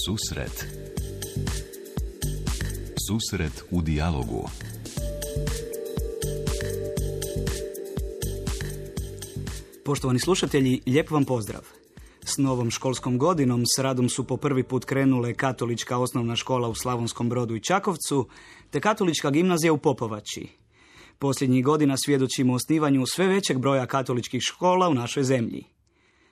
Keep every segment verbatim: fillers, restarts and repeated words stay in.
Susret. Susret u dijalogu. Poštovani slušatelji, lijep vam pozdrav. S novom školskom godinom s radom su po prvi put krenule Katolička osnovna škola u Slavonskom Brodu i Čakovcu, te Katolička gimnazija u Popovači. Posljednjih godina svjedočimo osnivanju sve većeg broja katoličkih škola u našoj zemlji.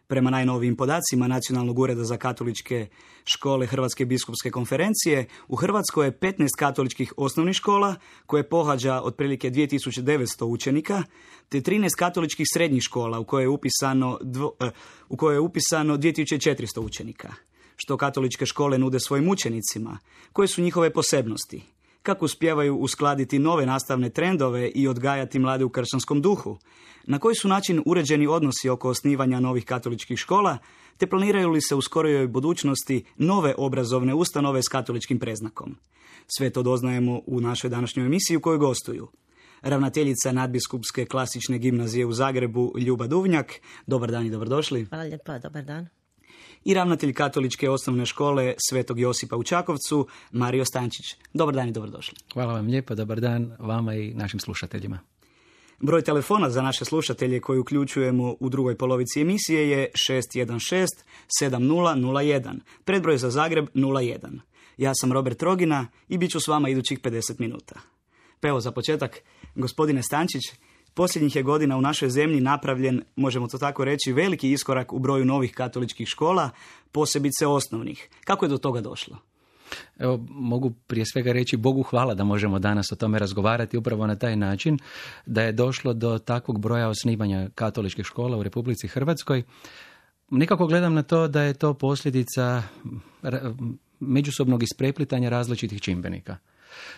Prema najnovijim podacima Nacionalnog ureda za katoličke škole Hrvatske biskupske konferencije, u Hrvatskoj je petnaest katoličkih osnovnih škola, koje pohađa otprilike dvije tisuće devetsto učenika, te trinaest katoličkih srednjih škola u koje je upisano, dvo, uh, u koje je upisano dvije tisuće četiristo učenika. Što katoličke škole nude svojim učenicima? Koje su njihove posebnosti? Kako uspijevaju uskladiti nove nastavne trendove i odgajati mlade u kršćanskom duhu? Na koji su način uređeni odnosi oko osnivanja novih katoličkih škola, te planiraju li se u skorijoj budućnosti nove obrazovne ustanove s katoličkim predznakom? Sve to doznajemo u našoj današnjoj emisiji u kojoj gostuju ravnateljica nadbiskupske klasične gimnazije u Zagrebu Ljuba Duvnjak. Dobar dan i dobrodošli. Hvala lijepa, dobar dan. I ravnatelj katoličke osnovne škole Svetog Josipa u Čakovcu, Mario Stančić. Dobar dan i dobrodošli. Hvala vam lijepo, dobar dan vama i našim slušateljima. Broj telefona za naše slušatelje koji uključujemo u drugoj polovici emisije je šest jedan šest sedam nula nula jedan, predbroj za Zagreb nula jedan. Ja sam Robert Rogina i bit ću s vama idućih pedeset minuta. Pa evo za početak, gospodine Stančić, posljednjih je godina u našoj zemlji napravljen, možemo to tako reći, veliki iskorak u broju novih katoličkih škola, posebice osnovnih. Kako je do toga došlo? Evo, mogu prije svega reći Bogu hvala da možemo danas o tome razgovarati upravo na taj način, da je došlo do takvog broja osnivanja katoličkih škola u Republici Hrvatskoj. Nekako gledam na to da je to posljedica međusobnog ispreplitanja različitih čimbenika.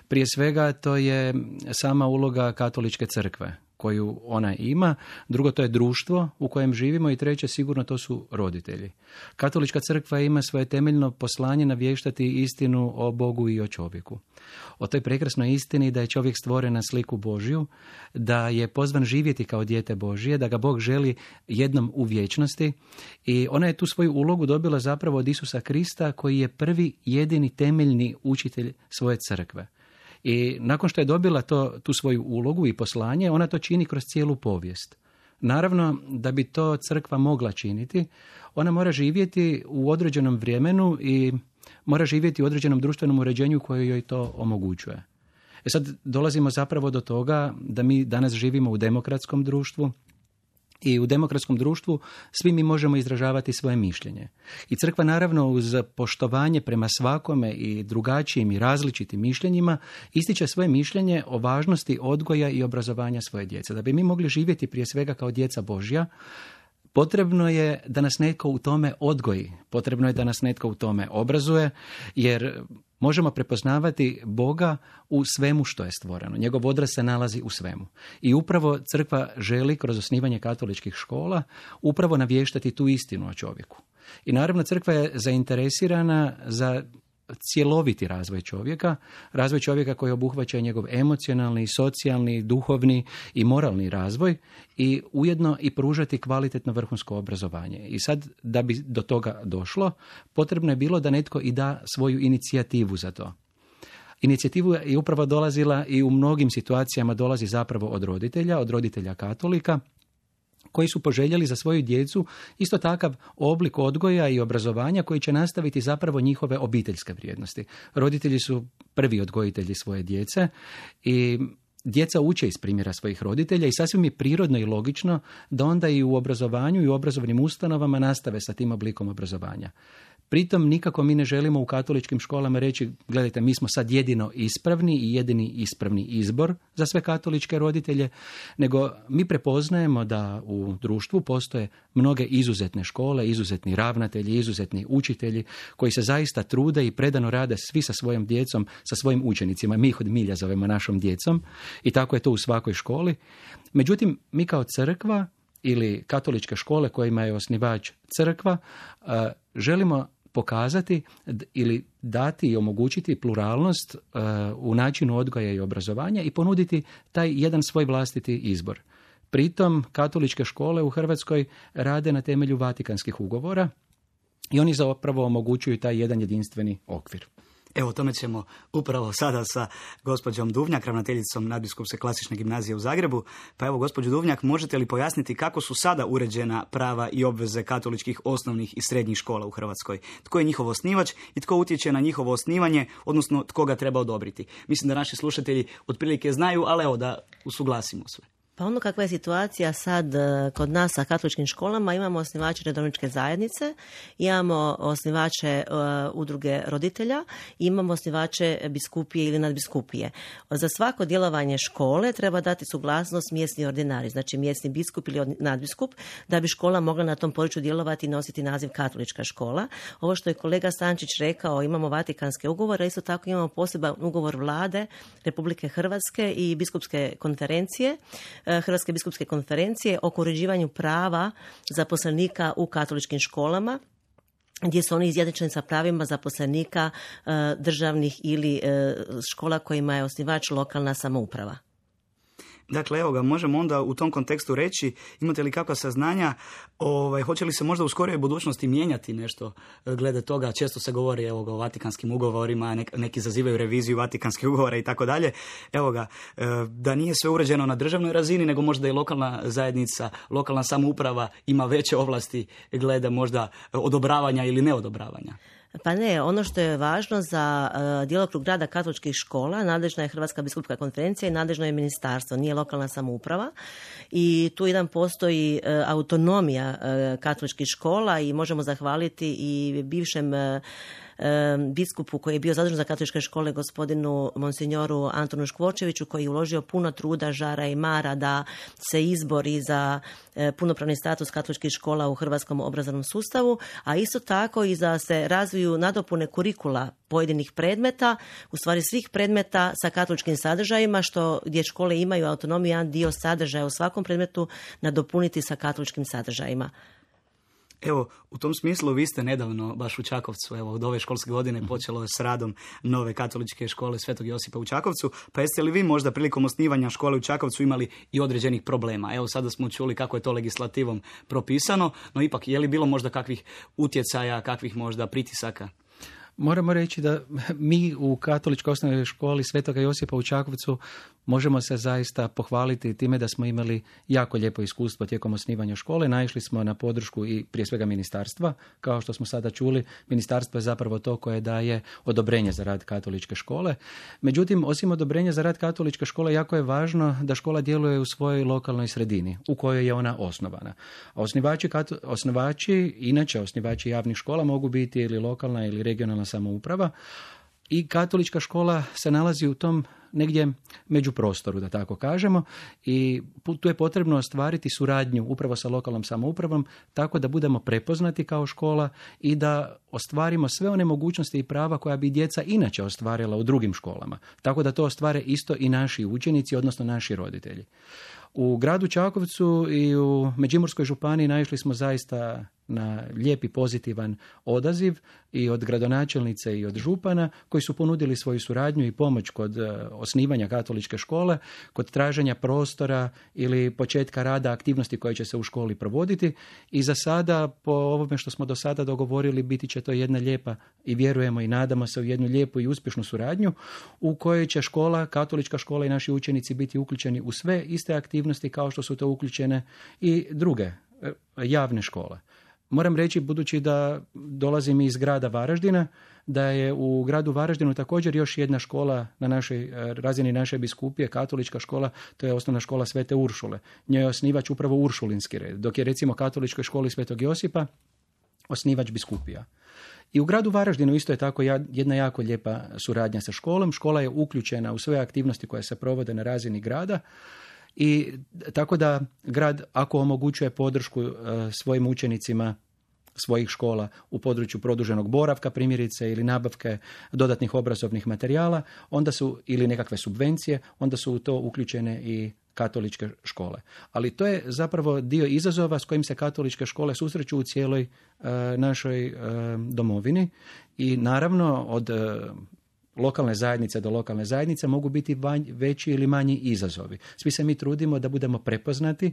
Prije svega to je sama uloga katoličke crkve koju ona ima, drugo to je društvo u kojem živimo i treće sigurno to su roditelji. Katolička crkva ima svoje temeljno poslanje navještati istinu o Bogu i o čovjeku. O toj prekrasnoj istini da je čovjek stvoren na sliku Božju, da je pozvan živjeti kao dijete Božje, da ga Bog želi jednom u vječnosti i ona je tu svoju ulogu dobila zapravo od Isusa Krista koji je prvi jedini temeljni učitelj svoje crkve. I nakon što je dobila to, tu svoju ulogu i poslanje, ona to čini kroz cijelu povijest. Naravno, da bi to crkva mogla činiti, ona mora živjeti u određenom vremenu i mora živjeti u određenom društvenom uređenju koje joj to omogućuje. E sad dolazimo zapravo do toga da mi danas živimo u demokratskom društvu, i u demokratskom društvu svi mi možemo izražavati svoje mišljenje. I crkva naravno uz poštovanje prema svakome i drugačijim i različitim mišljenjima ističe svoje mišljenje o važnosti odgoja i obrazovanja svoje djece. Da bi mi mogli živjeti prije svega kao djeca Božja, potrebno je da nas netko u tome odgoji, potrebno je da nas netko u tome obrazuje, jer možemo prepoznavati Boga u svemu što je stvoreno. Njegov odraz se nalazi u svemu. I upravo crkva želi kroz osnivanje katoličkih škola upravo navještati tu istinu o čovjeku. I naravno crkva je zainteresirana za cjeloviti razvoj čovjeka, razvoj čovjeka koji obuhvaća njegov emocionalni, socijalni, duhovni i moralni razvoj i ujedno i pružati kvalitetno vrhunsko obrazovanje. I sad, da bi do toga došlo, potrebno je bilo da netko i da svoju inicijativu za to. Inicijativu je upravo dolazila i u mnogim situacijama dolazi zapravo od roditelja, od roditelja katolika, koji su poželjeli za svoju djecu isto takav oblik odgoja i obrazovanja koji će nastaviti zapravo njihove obiteljske vrijednosti. Roditelji su prvi odgojitelji svoje djece i djeca uče iz primjera svojih roditelja i sasvim je prirodno i logično da onda i u obrazovanju i u obrazovnim ustanovama nastave sa tim oblikom obrazovanja. Pritom nikako mi ne želimo u katoličkim školama reći, gledajte, mi smo sad jedino ispravni i jedini ispravni izbor za sve katoličke roditelje, nego mi prepoznajemo da u društvu postoje mnoge izuzetne škole, izuzetni ravnatelji, izuzetni učitelji koji se zaista trude i predano rade svi sa svojom djecom, sa svojim učenicima. Mi ih od milja zovemo našom djecom i tako je to u svakoj školi. Međutim, mi kao crkva ili katoličke škole kojima je osnivač crkva, želimo pokazati ili dati i omogućiti pluralnost uh, u načinu odgoja i obrazovanja i ponuditi taj jedan svoj vlastiti izbor. Pritom katoličke škole u Hrvatskoj rade na temelju Vatikanskih ugovora i oni zapravo omogućuju taj jedan jedinstveni okvir. Evo, o tome ćemo upravo sada sa gospođom Duvnjak, ravnateljicom Nadbiskupske klasične gimnazije u Zagrebu. Pa evo, gospođo Duvnjak, možete li pojasniti kako su sada uređena prava i obveze katoličkih osnovnih i srednjih škola u Hrvatskoj? Tko je njihov osnivač i tko utječe na njihovo osnivanje, odnosno tko ga treba odobriti? Mislim da naši slušatelji otprilike znaju, ali evo da usuglasimo sve. Pa ono kakva je situacija sad e, kod nas sa katoličkim školama, imamo osnivače redovničke zajednice, imamo osnivače e, udruge roditelja, imamo osnivače biskupije ili nadbiskupije. Za svako djelovanje škole treba dati suglasnost mjesni ordinari, znači mjesni biskup ili nadbiskup, da bi škola mogla na tom području djelovati i nositi naziv katolička škola. Ovo što je kolega Stančić rekao, imamo Vatikanske ugovore, isto tako imamo poseban ugovor vlade Republike Hrvatske i biskupske konferencije, Hrvatske biskupske konferencije oko uređivanju prava zaposlenika u katoličkim školama, gdje su oni izjednačeni sa pravima zaposlenika državnih ili škola kojima je osnivač lokalna samouprava. Dakle, evo ga, možemo onda u tom kontekstu reći, imate li kakva saznanja, ovaj, hoće li se možda u skorijoj budućnosti mijenjati nešto glede toga? Često se govori evo ga, o Vatikanskim ugovorima, nek, neki zazivaju reviziju Vatikanskih ugovora i tako dalje. Evo ga, da nije sve uređeno na državnoj razini, nego možda i lokalna zajednica, lokalna samouprava ima veće ovlasti glede možda odobravanja ili neodobravanja. Pa ne, ono što je važno za uh, djelokrug rada katoličkih škola, nadležna je Hrvatska biskupska konferencija i nadležno je ministarstvo, nije lokalna samouprava. I tu jedan postoji uh, autonomija uh, katoličkih škola i možemo zahvaliti i bivšem uh, biskupu koji je bio zadužen za katoličke škole, gospodinu monsignoru Antonu Škvočeviću, koji je uložio puno truda, žara i mara da se izbori za punopravni status katoličkih škola u hrvatskom obrazovnom sustavu, a isto tako i da se razviju nadopune kurikula pojedinih predmeta, u stvari svih predmeta sa katoličkim sadržajima, što gdje škole imaju autonomiju, jedan dio sadržaja u svakom predmetu nadopuniti sa katoličkim sadržajima. Evo, u tom smislu vi ste nedavno, baš u Čakovcu, evo, od ove školske godine počelo je s radom nove katoličke škole Svetog Josipa u Čakovcu, pa jeste li vi možda prilikom osnivanja škole u Čakovcu imali i određenih problema? Evo, sada smo čuli kako je to legislativom propisano, no ipak, je li bilo možda kakvih utjecaja, kakvih možda pritisaka? Moramo reći da mi u Katoličkoj osnovnoj školi Svetoga Josipa u Čakovcu možemo se zaista pohvaliti time da smo imali jako lijepo iskustvo tijekom osnivanja škole. Naišli smo na podršku i prije svega ministarstva. Kao što smo sada čuli, ministarstvo je zapravo to koje daje odobrenje za rad katoličke škole. Međutim, osim odobrenja za rad katoličke škole, jako je važno da škola djeluje u svojoj lokalnoj sredini u kojoj je ona osnovana. A osnivači, osnivači, inače osnivači javnih škola mogu biti ili lokalna ili regionalna samouprava i katolička škola se nalazi u tom negdje među prostoru, da tako kažemo, i tu je potrebno ostvariti suradnju upravo sa lokalnom samoupravom tako da budemo prepoznati kao škola i da ostvarimo sve one mogućnosti i prava koja bi djeca inače ostvarila u drugim školama. Tako da to ostvare isto i naši učenici, odnosno naši roditelji. U gradu Čakovcu i u Međimurskoj županiji naišli smo zaista na lijepi pozitivan odaziv i od gradonačelnice i od župana koji su ponudili svoju suradnju i pomoć kod osnivanja katoličke škole, kod traženja prostora ili početka rada aktivnosti koje će se u školi provoditi. I za sada, po ovome što smo do sada dogovorili, biti će to jedna lijepa i vjerujemo i nadamo se u jednu lijepu i uspješnu suradnju u kojoj će škola, katolička škola i naši učenici biti uključeni u sve iste aktivnosti kao što su to uključene i druge javne škole. Moram reći, budući da dolazim iz grada Varaždina, da je u gradu Varaždinu također još jedna škola na našoj razini naše biskupije, katolička škola, to je osnovna škola Svete Uršule. Njoj je osnivač upravo Uršulinski red, dok je recimo katoličkoj školi Svetog Josipa osnivač biskupija. I u gradu Varaždinu isto je tako jedna jako lijepa suradnja sa školom. Škola je uključena u sve aktivnosti koje se provode na razini grada. I tako da grad, ako omogućuje podršku e, svojim učenicima svojih škola u području produženog boravka primjerice ili nabavke dodatnih obrazovnih materijala, onda su ili nekakve subvencije, onda su u to uključene i katoličke škole. Ali to je zapravo dio izazova s kojim se katoličke škole susreću u cijeloj e, našoj e, domovini i naravno od e, lokalne zajednice do lokalne zajednice mogu biti vanj, veći ili manji izazovi. Svi se mi trudimo da budemo prepoznati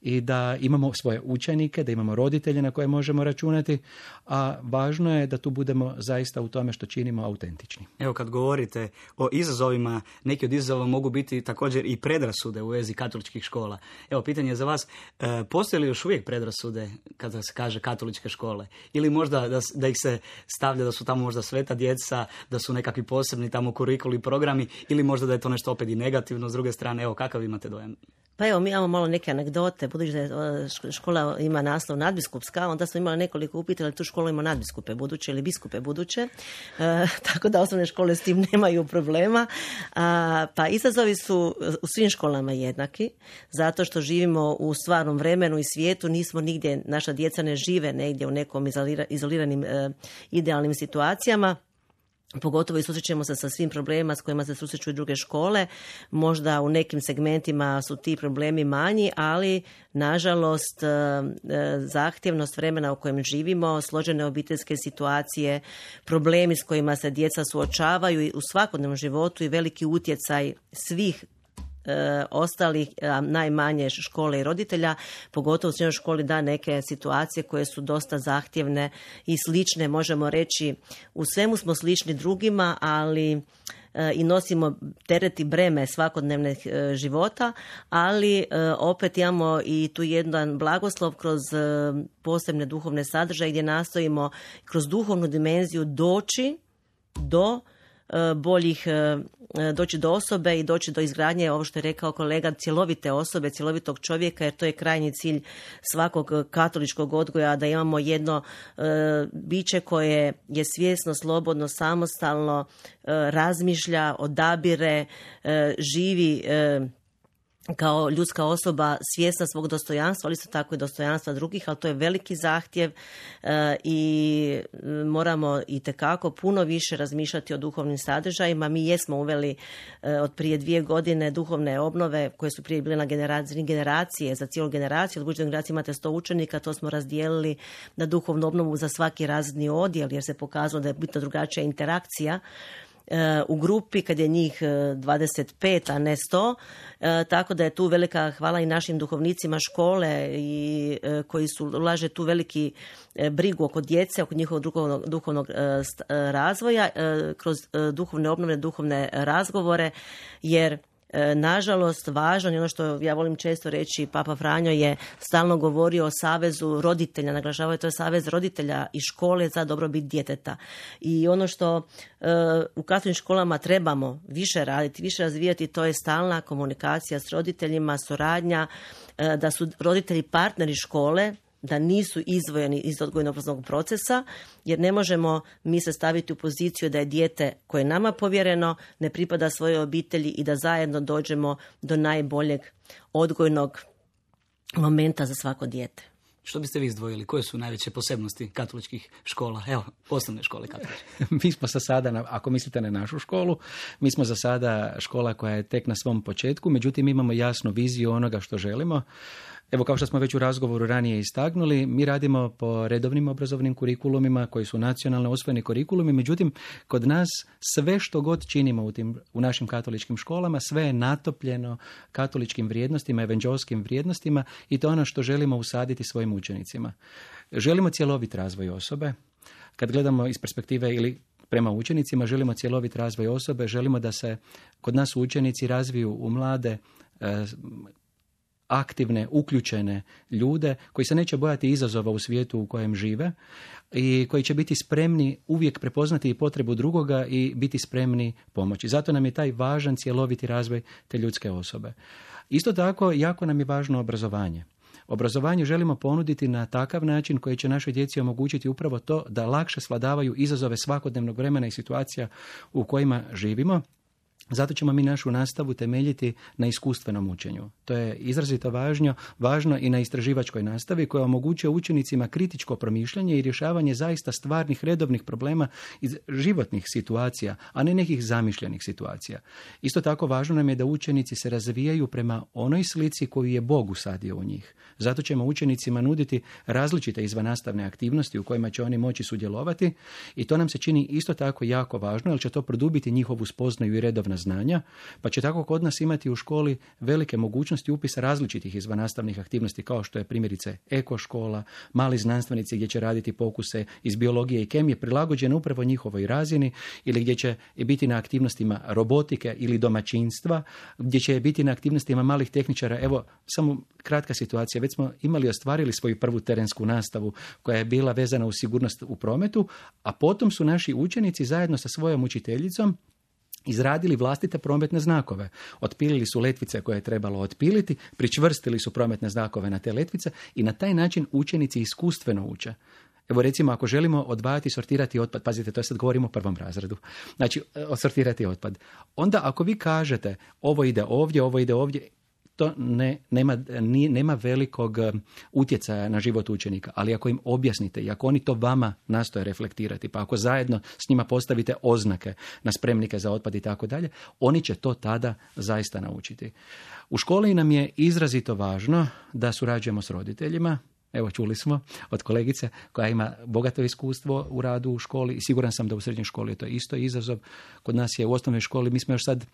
i da imamo svoje učenike, da imamo roditelje na koje možemo računati, a važno je da tu budemo zaista u tome što činimo autentični. Evo, kad govorite o izazovima, neki od izazova mogu biti također i predrasude u vezi katoličkih škola. Evo, pitanje za vas, e, postoje li još uvijek predrasude kada se kaže katoličke škole? Ili možda da, da ih se stavlja da su tamo možda sveta djeca, da su nekakvi posebni tamo kurikuli programi, ili možda da je to nešto opet i negativno s druge strane? Evo, kakav imate dojam? Pa evo, mi imamo malo neke anegdote, budući da škola ima naslov nadbiskupska, onda smo imali nekoliko upita da tu školu ima nadbiskupe buduće ili biskupe buduće, e, tako da osnovne škole s tim nemaju problema. A, pa izazovi su u svim školama jednaki, zato što živimo u stvarnom vremenu i svijetu, nismo nigdje, naša djeca ne žive negdje u nekom izolira, izoliranim e, idealnim situacijama. Pogotovo i susrećemo se sa svim problemima s kojima se susreću i druge škole. Možda u nekim segmentima su ti problemi manji, ali nažalost zahtjevnost vremena u kojem živimo, složene obiteljske situacije, problemi s kojima se djeca suočavaju u svakodnevnom životu i veliki utjecaj svih E, ostalih, a najmanje škole i roditelja, pogotovo u srednjoj školi, da neke situacije koje su dosta zahtjevne i slične, možemo reći, u svemu smo slični drugima, ali e, i nosimo teret i breme svakodnevnog e, života, ali e, opet imamo i tu jedan blagoslov kroz e, posebne duhovne sadržaje gdje nastojimo kroz duhovnu dimenziju doći do boljih, doći do osobe i doći do izgradnje, ovo što je rekao kolega, cjelovite osobe, cjelovitog čovjeka, jer to je krajnji cilj svakog katoličkog odgoja, da imamo jedno e, biće koje je svjesno, slobodno, samostalno, e, razmišlja, odabire, e, živi e, kao ljudska osoba svjesna svog dostojanstva, ali isto tako i dostojanstva drugih, ali to je veliki zahtjev e, i moramo itekako puno više razmišljati o duhovnim sadržajima. Mi jesmo uveli e, od prije dvije godine duhovne obnove koje su prije bile na generacije, generacije za cijelu generaciju. Od buduće generacije imate sto učenika, to smo razdijelili na duhovnu obnovu za svaki razredni odjel, jer se pokazalo da je bitno drugačija interakcija u grupi kad je njih dvadeset pet, a ne sto, tako da je tu velika hvala i našim duhovnicima škole i koji su ulaže tu veliki brigu oko djece, oko njihovog duhovnog, duhovnog razvoja kroz duhovne obnove, duhovne razgovore, jer nažalost važno je ono što ja volim često reći, Papa Franjo je stalno govorio o savezu roditelja, naglašavao je to je savez roditelja i škole za dobrobit djeteta. I ono što uh, u katoličkim školama trebamo više raditi, više razvijati, to je stalna komunikacija s roditeljima, suradnja, uh, da su roditelji partneri škole, da nisu izdvojeni iz odgojno-obrazovnog procesa, jer ne možemo mi se staviti u poziciju da je dijete koje je nama povjereno ne pripada svojoj obitelji i da zajedno dođemo do najboljeg odgojnog momenta za svako dijete. Što biste vi izdvojili? Koje su najveće posebnosti katoličkih škola? Evo, osnovne škole katoličke. Mi smo za sada, ako mislite na našu školu, mi smo za sada škola koja je tek na svom početku, međutim imamo jasnu viziju onoga što želimo. Evo, kao što smo već u razgovoru ranije istagnuli, mi radimo po redovnim obrazovnim kurikulumima koji su nacionalno usvojeni kurikulumi, međutim, kod nas sve što god činimo u, tim, u našim katoličkim školama, sve je natopljeno katoličkim vrijednostima, evanđelskim vrijednostima i to je ono što želimo usaditi svojim učenicima. Želimo cjelovit razvoj osobe. Kad gledamo iz perspektive ili prema učenicima, želimo cjelovit razvoj osobe, želimo da se kod nas učenici razviju u mlade, eh, aktivne, uključene ljude koji se neće bojati izazova u svijetu u kojem žive i koji će biti spremni uvijek prepoznati i potrebu drugoga i biti spremni pomoći. Zato nam je taj važan cjeloviti razvoj te ljudske osobe. Isto tako, jako nam je važno obrazovanje. Obrazovanje želimo ponuditi na takav način koji će našoj djeci omogućiti upravo to da lakše svladavaju izazove svakodnevnog vremena i situacija u kojima živimo. Zato ćemo mi našu nastavu temeljiti na iskustvenom učenju. To je izrazito važno, važno i na istraživačkoj nastavi koja omogućuje učenicima kritičko promišljanje i rješavanje zaista stvarnih redovnih problema iz životnih situacija, a ne nekih zamišljenih situacija. Isto tako važno nam je da učenici se razvijaju prema onoj slici koju je Bog usadio u njih. Zato ćemo učenicima nuditi različite izvannastavne aktivnosti u kojima će oni moći sudjelovati i to nam se čini isto tako jako važno, jer će to produbiti njihovu spoznaju i redovna znanja, pa će tako kod nas imati u školi velike mogućnosti upisa različitih izvannastavnih aktivnosti, kao što je primjerice eko škola, mali znanstvenici gdje će raditi pokuse iz biologije i kemije prilagođene upravo njihovoj razini, ili gdje će biti na aktivnostima robotike ili domaćinstva, gdje će biti na aktivnostima malih tehničara. Evo, samo kratka situacija. Već smo imali ostvarili svoju prvu terensku nastavu koja je bila vezana uz sigurnost u prometu, a potom su naši učenici zajedno sa svojom učiteljicom izradili vlastite prometne znakove. Otpilili su letvice koje je trebalo otpiliti, pričvrstili su prometne znakove na te letvice i na taj način učenici iskustveno uče. Evo recimo, ako želimo odvajati i sortirati otpad, pazite, to je sad govorimo o prvom razredu, znači sortirati otpad. Onda ako vi kažete ovo ide ovdje, ovo ide ovdje, to ne, nema, ni, nema velikog utjecaja na život učenika, ali ako im objasnite i ako oni to vama nastoje reflektirati, pa ako zajedno s njima postavite oznake na spremnike za otpad i tako dalje, oni će to tada zaista naučiti. U školi nam je izrazito važno da surađujemo s roditeljima. Evo, čuli smo od kolegice koja ima bogato iskustvo u radu u školi i siguran sam da u srednjoj školi je to isto izazov. Kod nas je u osnovnoj školi, mi smo još sad,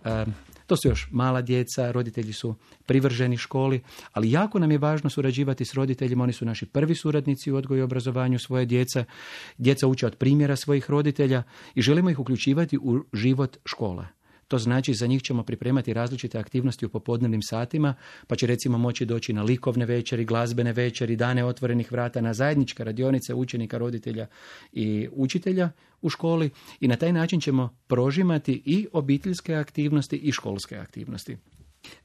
um, to su još mala djeca, roditelji su privrženi školi, ali jako nam je važno surađivati s roditeljima, oni su naši prvi suradnici u odgoju i obrazovanju svoje djece. Djeca uče od primjera svojih roditelja i želimo ih uključivati u život škole. To znači za njih ćemo pripremati različite aktivnosti u popodnevnim satima, pa će recimo moći doći na likovne večeri, glazbene večeri, dane otvorenih vrata, na zajedničke radionice učenika, roditelja i učitelja u školi i na taj način ćemo prožimati i obiteljske aktivnosti i školske aktivnosti.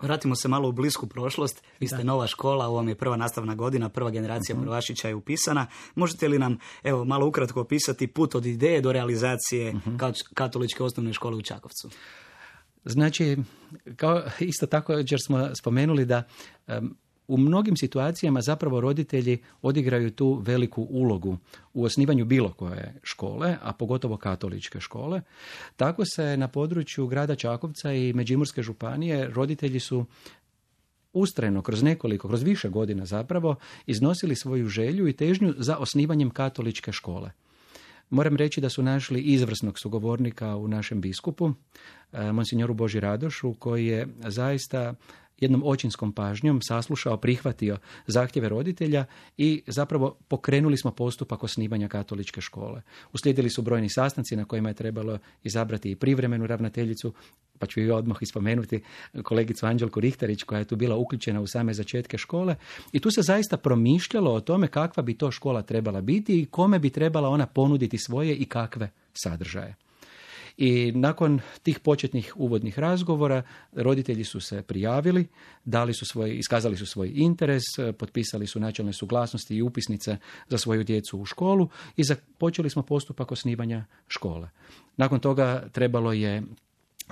Vratimo se malo u blisku prošlost. Vi ste da. Nova škola, ovo vam je prva nastavna godina, prva generacija uh-huh. prvašića je upisana. Možete li nam evo malo ukratko opisati put od ideje do realizacije uh-huh. katoličke osnovne škole u Čakovcu? Znači, kao isto tako jer smo spomenuli da um, u mnogim situacijama zapravo roditelji odigraju tu veliku ulogu u osnivanju bilo koje škole, a pogotovo katoličke škole. Tako se na području grada Čakovca i Međimurske županije roditelji su ustrajno kroz nekoliko, kroz više godina zapravo iznosili svoju želju i težnju za osnivanjem katoličke škole. Moram reći da su našli izvrsnog sugovornika u našem biskupu, monsignoru Boži Radošu, koji je zaista jednom očinskom pažnjom saslušao, prihvatio zahtjeve roditelja i zapravo pokrenuli smo postupak osnivanja katoličke škole. Uslijedili su brojni sastanci na kojima je trebalo izabrati i privremenu ravnateljicu, pa ću i odmah ispomenuti kolegicu Anđelku Rihtarić koja je tu bila uključena u same začetke škole i tu se zaista promišljalo o tome kakva bi to škola trebala biti i kome bi trebala ona ponuditi svoje i kakve sadržaje. I nakon tih početnih uvodnih razgovora roditelji su se prijavili, dali su svoj, iskazali su svoj interes, potpisali su načelne suglasnosti i upisnice za svoju djecu u školu i započeli smo postupak osnivanja škole. Nakon toga trebalo je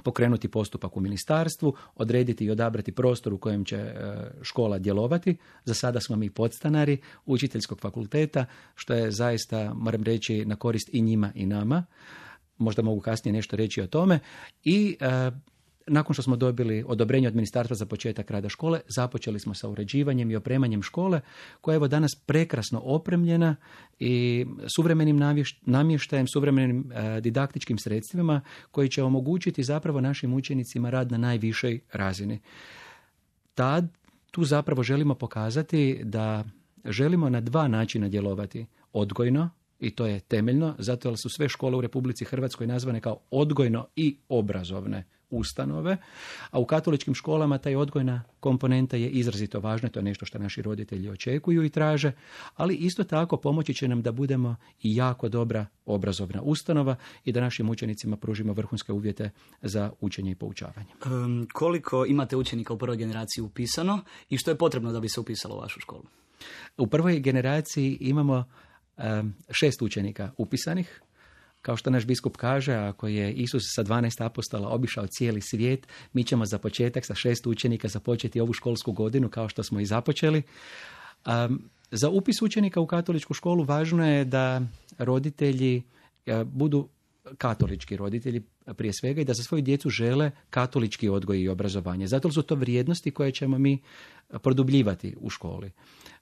pokrenuti postupak u ministarstvu, odrediti i odabrati prostor u kojem će škola djelovati. Za sada smo mi podstanari učiteljskog fakulteta, što je zaista, moram reći, na korist i njima i nama. Možda mogu kasnije nešto reći o tome. I e, nakon što smo dobili odobrenje od ministarstva za početak rada škole, započeli smo sa uređivanjem i opremanjem škole, koja je evo danas prekrasno opremljena i suvremenim namještajem, suvremenim e, didaktičkim sredstvima koji će omogućiti zapravo našim učenicima rad na najvišoj razini. Tad, tu zapravo želimo pokazati da želimo na dva načina djelovati. Odgojno, i to je temeljno, zato jer su sve škole u Republici Hrvatskoj nazvane kao odgojno i obrazovne ustanove, a u katoličkim školama taj odgojna komponenta je izrazito važna, to je nešto što naši roditelji očekuju i traže, ali isto tako pomoći će nam da budemo i jako dobra obrazovna ustanova i da našim učenicima pružimo vrhunske uvjete za učenje i poučavanje. Um, koliko imate učenika u prvoj generaciji upisano i što je potrebno da bi se upisalo u vašu školu? U prvoj generaciji imamo šest učenika upisanih, Kao što naš biskup kaže, ako je Isus sa dvanaest apostola obišao cijeli svijet, mi ćemo za početak sa šest učenika započeti ovu školsku godinu kao što smo i započeli. Um, za upis učenika u katoličku školu važno je da roditelji uh, budu katolički roditelji prije svega i da za svoju djecu žele katolički odgoj i obrazovanje. Zato su to vrijednosti koje ćemo mi produbljivati u školi.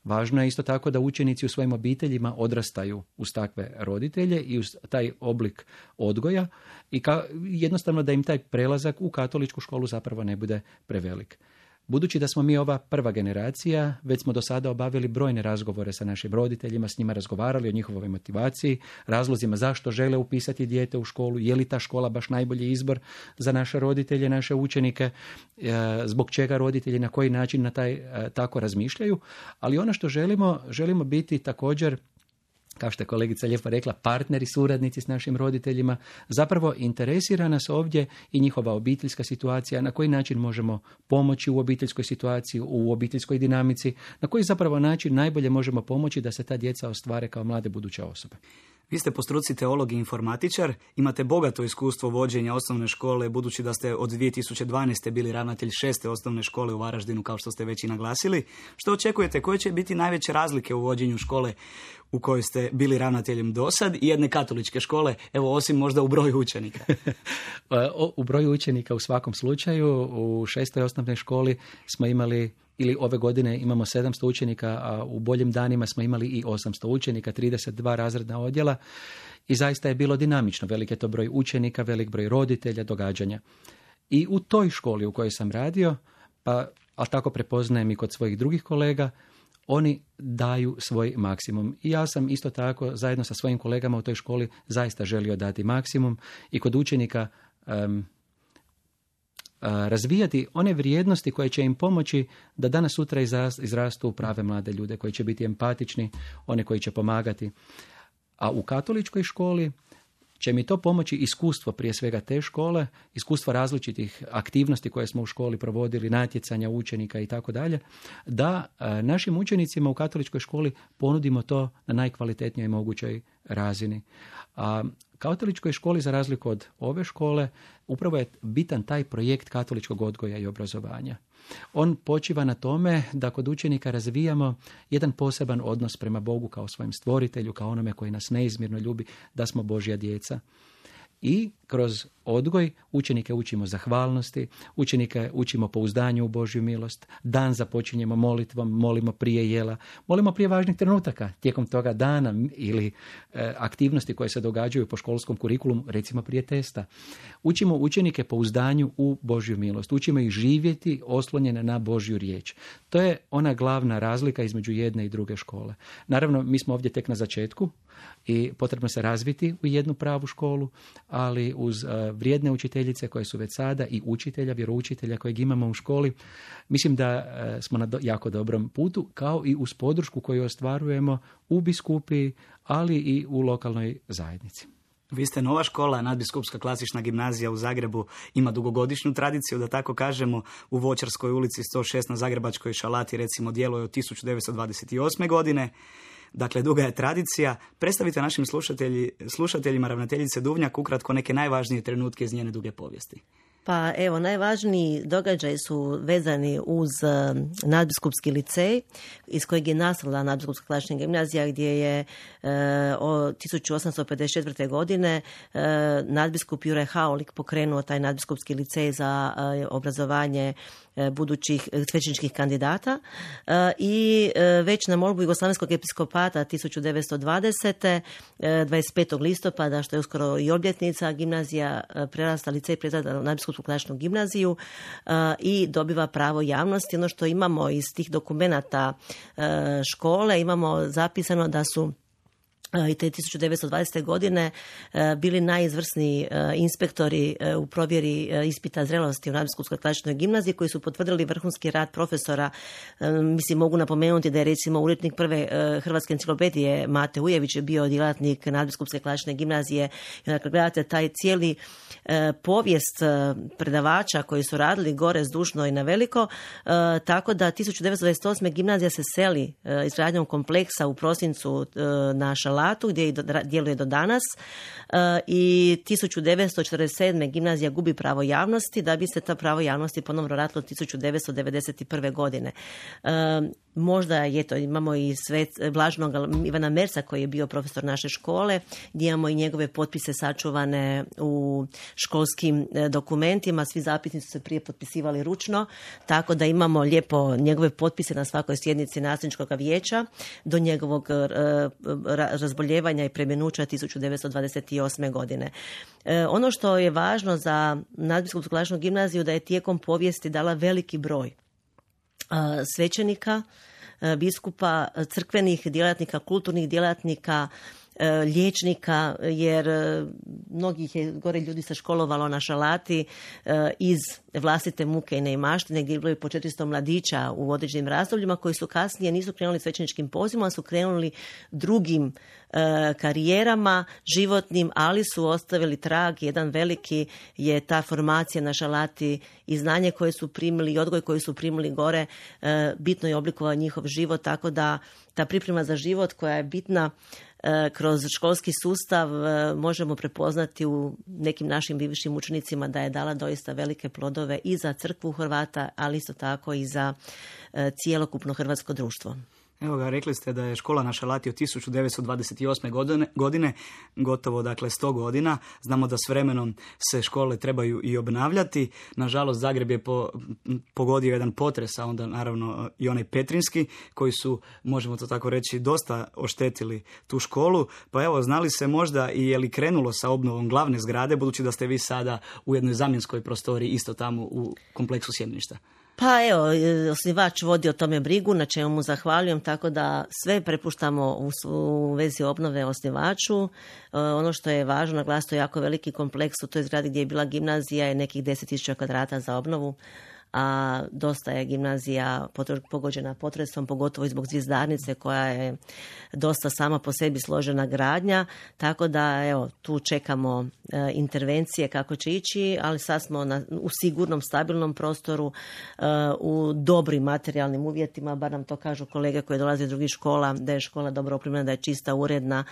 Važno je isto tako da učenici u svojim obiteljima odrastaju uz takve roditelje i uz taj oblik odgoja i ka, jednostavno da im taj prelazak u katoličku školu zapravo ne bude prevelik. Budući da smo mi ova prva generacija, već smo do sada obavili brojne razgovore sa našim roditeljima, s njima razgovarali o njihovoj motivaciji, razlozima zašto žele upisati dijete u školu, je li ta škola baš najbolji izbor za naše roditelje, naše učenike, zbog čega roditelji na koji način na taj tako razmišljaju. Ali ono što želimo, želimo biti također, kao što je kolegica lijepo rekla, partneri, suradnici s našim roditeljima. Zapravo interesira nas ovdje i njihova obiteljska situacija, na koji način možemo pomoći u obiteljskoj situaciji, u obiteljskoj dinamici, na koji zapravo način najbolje možemo pomoći da se ta djeca ostvare kao mlade buduće osobe. Vi ste po struci teolog i informatičar, imate bogato iskustvo vođenja osnovne škole, budući da ste od dvije tisuće dvanaeste bili ravnatelj šeste osnovne škole u Varaždinu, kao što ste već i naglasili. Što očekujete, koje će biti najveće razlike u vođenju škole u kojoj ste bili ravnateljem do sad i jedne katoličke škole, evo osim možda u broju učenika? U broju učenika u svakom slučaju, u šestoj osnovnoj školi smo imali, ili ove godine imamo sedamsto učenika, a u boljim danima smo imali i osamsto učenika, trideset dva razredna odjela i zaista je bilo dinamično. Velik je to broj učenika, velik broj roditelja, događanja. I u toj školi u kojoj sam radio, pa, ali tako prepoznajem i kod svojih drugih kolega, oni daju svoj maksimum. I ja sam isto tako zajedno sa svojim kolegama u toj školi zaista želio dati maksimum i kod učenika um, razvijati one vrijednosti koje će im pomoći da danas sutra izrastu u prave mlade ljude, koji će biti empatični, one koji će pomagati. A u katoličkoj školi će mi to pomoći iskustvo prije svega te škole, iskustvo različitih aktivnosti koje smo u školi provodili, natjecanja učenika i tako dalje, da našim učenicima u katoličkoj školi ponudimo to na najkvalitetnijoj mogućoj razini. A katoličkoj školi, za razliku od ove škole, upravo je bitan taj projekt katoličkog odgoja i obrazovanja. On počiva na tome da kod učenika razvijamo jedan poseban odnos prema Bogu kao svojem stvoritelju, kao onome koji nas neizmjerno ljubi, da smo Božja djeca. I kroz odgoj učenike učimo zahvalnosti, učenike učimo pouzdanju u Božju milost, dan započinjemo molitvom, molimo prije jela, molimo prije važnih trenutaka tijekom toga dana ili e, aktivnosti koje se događaju po školskom kurikulumu, recimo prije testa. Učimo učenike pouzdanju u Božju milost, učimo ih živjeti oslonjene na Božju riječ. To je ona glavna razlika između jedne i druge škole. Naravno, mi smo ovdje tek na začetku i potrebno se razviti u jednu pravu školu, ali uz uh, vrijedne učiteljice koje su već sada i učitelja, vjeroučitelja kojeg imamo u školi, mislim da uh, smo na do, jako dobrom putu, kao i uz podršku koju ostvarujemo u biskupiji, ali i u lokalnoj zajednici. Vi ste nova škola, Nadbiskupska klasična gimnazija u Zagrebu ima dugogodišnju tradiciju, da tako kažemo, u Voćarskoj ulici sto šest na Zagrebačkoj šalati recimo djeluje od tisuću devetsto dvadeset osme godine. Dakle, duga je tradicija. Predstavite našim slušatelji, slušateljima ravnateljice Duvnjak ukratko neke najvažnije trenutke iz njene duge povijesti. Pa evo, najvažniji događaji su vezani uz uh, Nadbiskupski licej, iz kojeg je nastala Nadbiskupska klasična gimnazija, gdje je uh, od tisuću osamsto pedeset četvrte. godine uh, nadbiskup Juraj Haolik pokrenuo taj Nadbiskupski licej za uh, obrazovanje uh, budućih svećeničkih kandidata uh, i uh, već na molbu Jugoslavenskog episkopata tisuću devetsto dvadesete. Uh, dvadeset petog listopada, što je uskoro i obljetnica, gimnazija uh, prerasta, licej prerasta na Nadbiskupsku klasičnu gimnaziju uh, i dobiva pravo javnosti. Ono što imamo iz tih dokumenata uh, škole, imamo zapisano da su i te tisuću devetsto dvadesete. godine bili najizvrsniji inspektori u provjeri ispita zrelosti u Nadbiskupskoj klasičnoj gimnaziji, koji su potvrdili vrhunski rad profesora. Mislim, mogu napomenuti da je recimo urednik prve hrvatske enciklopedije Mate Ujević je bio djelatnik Nadbiskupske klasične gimnazije. I dakle, gledate taj cijeli povijest predavača koji su radili gore zdušno i na veliko, tako da tisuću devetsto dvadeset osme. gimnazija se seli izgradnjom kompleksa u prosincu na Šalati Šalatu gdje do, djeluje do danas e, i tisuću devetsto četrdeset sedme. gimnazija gubi pravo javnosti da bi se ta pravo javnosti ponovno vratilo tisuću devetsto devedeset prve. godine. E, možda je to, imamo i svet, Blaženog Ivana Mersa koji je bio profesor naše škole, gdje imamo i njegove potpise sačuvane u školskim dokumentima. Svi zapisnici su se prije potpisivali ručno, tako da imamo lijepo njegove potpise na svakoj sjednici nastavničkog vijeća do njegovog uh, razboljevanja i preminuća tisuću devetsto dvadeset osme. godine. E, ono što je važno za Nadbiskupsku klasičnu gimnaziju da je tijekom povijesti dala veliki broj uh, svećenika, uh, biskupa, crkvenih djelatnika, kulturnih djelatnika, liječnika, jer mnogih je gore ljudi se školovalo na Šalati iz vlastite muke i neimaštine, gdje je bilo po četiristo mladića u određenim razdobljima koji su kasnije nisu krenuli svećeničkim pozivima, su krenuli drugim karijerama životnim, ali su ostavili trag. Jedan veliki je ta formacija na Šalati i znanje koje su primili i odgoj koji su primili gore bitno je oblikovao njihov život, tako da ta priprema za život koja je bitna kroz školski sustav možemo prepoznati u nekim našim bivšim učenicima da je dala doista velike plodove i za crkvu Hrvata, ali isto tako i za cijelokupno hrvatsko društvo. Evo ga, rekli ste da je škola na Šalati od tisuću devetsto dvadeset osme. godine, godine, gotovo dakle sto godina. Znamo da s vremenom se škole trebaju i obnavljati. Nažalost, Zagreb je po, pogodio jedan potres, a onda naravno i onaj petrinski, koji su, možemo to tako reći, dosta oštetili tu školu. Pa evo, znali se možda i je li krenulo sa obnovom glavne zgrade, budući da ste vi sada u jednoj zamjenskoj prostoriji isto tamo u kompleksu Sjemeništa? Pa evo, osnivač vodi o tome brigu, na čemu mu zahvaljujem, tako da sve prepuštamo u, u vezi obnove osnivaču. E, ono što je važno naglasiti, jako veliki kompleks u toj zgradi gdje je bila gimnazija je nekih deset tisuća kvadrata za obnovu, a dosta je gimnazija pogođena potresom, pogotovo i zbog zvizdarnice koja je dosta sama po sebi složena gradnja, tako da evo, tu čekamo e, intervencije kako će ići, ali sad smo na, u sigurnom, stabilnom prostoru, e, u dobrim materijalnim uvjetima, bar nam to kažu kolege koji dolaze iz drugih škola, da je škola dobro opremljena, da je čista, uredna